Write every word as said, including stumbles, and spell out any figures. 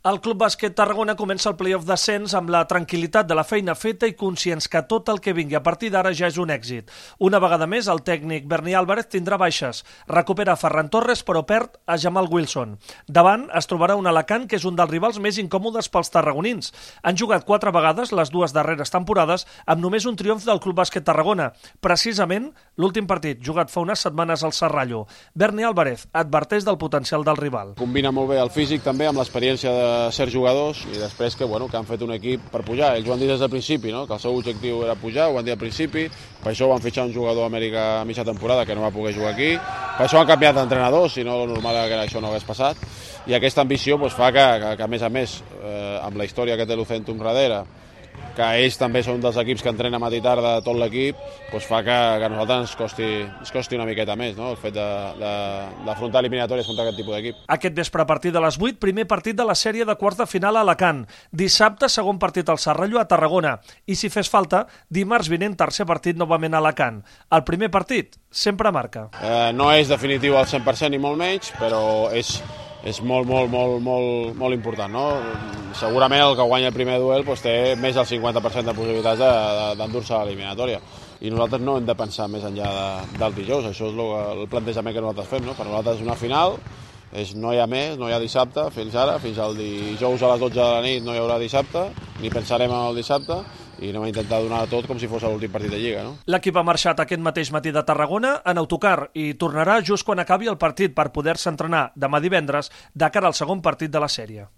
El Club Bàsquet Tarragona comença el play-off d'ascens amb la tranquil·litat de la feina feta i conscients que tot el que vingui a partir d'ara ja és un èxit. Una vegada més, el tècnic Berni Álvarez tindrà baixes. Recupera Ferran Torres, però perd a Jamal Wilson. Davant es trobarà un Alacant que és un dels rivals més incòmodes pels tarragonins. Han jugat quatre vegades les dues darreres temporades amb només un triomf del Club Bàsquet Tarragona. Precisament l'últim partit, jugat fa unes setmanes al Serrallo. Berni Álvarez adverteix del potencial del rival. Combina molt bé el físic també amb l'experiència de ser jugadors i després que, bueno, que han fet un equip per pujar. Ells ho han dit des del principi, no? Que el seu objectiu era pujar, ho han dit al principi, per això van fitxar un jugador d'Amèrica a mitja temporada que no va poder jugar aquí, per això han canviat d'entrenador, si no el normal era que això no hagués passat, i aquesta ambició pues, fa que, que, que, a més a més, eh, amb la història que té l'Ucentum darrere, que ells també són dels equips que entrenen matí i tarda tot l'equip, doncs fa que, que a nosaltres ens costi, ens costi una miqueta més, no? El fet d'afrontar eliminatòries contra aquest tipus d'equip. Aquest vespre a partir de les vuit, primer partit de la sèrie de quarts de final a Alacant. Dissabte, segon partit al Serrallo a Tarragona. I si fes falta, dimarts vinent, tercer partit novament a Alacant. El primer partit sempre marca. Eh, no és definitiu al cent per cent ni molt menys, però és... és molt, molt, molt, molt, molt important, no? Segurament el que guanya el primer duel doncs, té més del cinquanta per cent de possibilitats d'endur-se a l'eliminatòria. I nosaltres no hem de pensar més enllà de, del dijous, això és el, el plantejament que nosaltres fem, no? Per nosaltres és una final, és, no hi ha més, no hi ha dissabte, fins ara, fins al dijous a les dotze de la nit no hi haurà dissabte, ni pensarem en el dissabte, i anem a intentar donar tot com si fos l'últim partit de Lliga, no? L'equip ha marxat aquest mateix matí de Tarragona en autocar i tornarà just quan acabi el partit per poder-se entrenar demà divendres de cara al segon partit de la sèrie.